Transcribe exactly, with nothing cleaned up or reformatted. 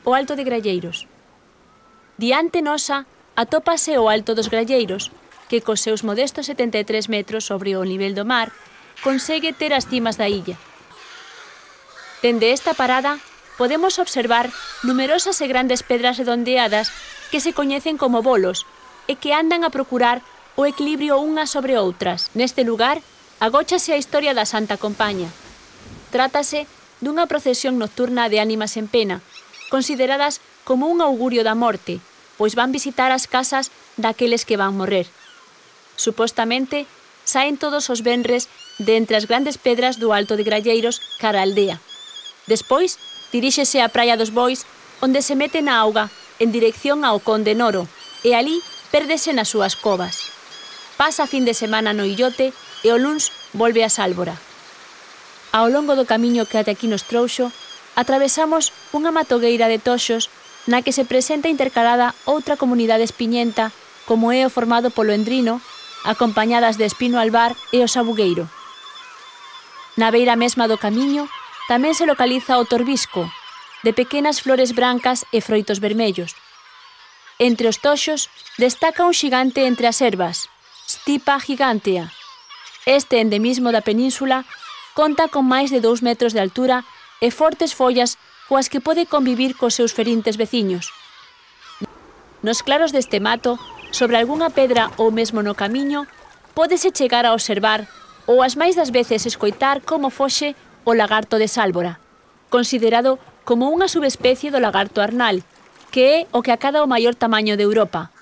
o Alto de Gralleiros. Diante nosa atópase o Alto dos Gralleiros, que cos seus modestos setenta e tres metros sobre o nivel do mar, consegue ter as cimas da illa. Dende esta parada, podemos observar numerosas e grandes pedras redondeadas que se coñecen como bolos e que andan a procurar o equilibrio unhas sobre outras. Neste lugar, agóchase a historia da Santa Compaña. Trátase dunha procesión nocturna de ánimas en pena, consideradas como un augurio da morte, pois van visitar as casas daqueles que van morrer. Supostamente, saen todos os venres de entre as grandes pedras do Alto de Gralleiros cara a aldea. Despois, diríxese á Praia dos Bois, onde se mete na auga en dirección ao Conde Noro, e alí pérdese nas súas covas. Pasa a fin de semana no illote e o luns volve a Sálvora. Ao longo do camiño que até aquí nos trouxo, atravesamos unha matogueira de toxos na que se presenta intercalada outra comunidade espiñenta, como é o formado polo Endrino, acompañadas de Espino Albar e o Sabugueiro. Na beira mesma do camiño tamén se localiza o Torbisco, de pequenas flores brancas e froitos vermellos. Entre os toxos destaca un xigante entre as ervas, Stipa gigantea. Este endemismo da península conta con máis de dous metros de altura e fortes follas coas que pode convivir cos seus ferintes veciños. Nos claros deste mato, sobre algunha pedra ou mesmo no camiño, pódese chegar a observar ou as máis das veces escoitar como foxe o lagarto de Sálvora, considerado como unha subespecie do lagarto arnal, que é o que acada o maior tamaño de Europa.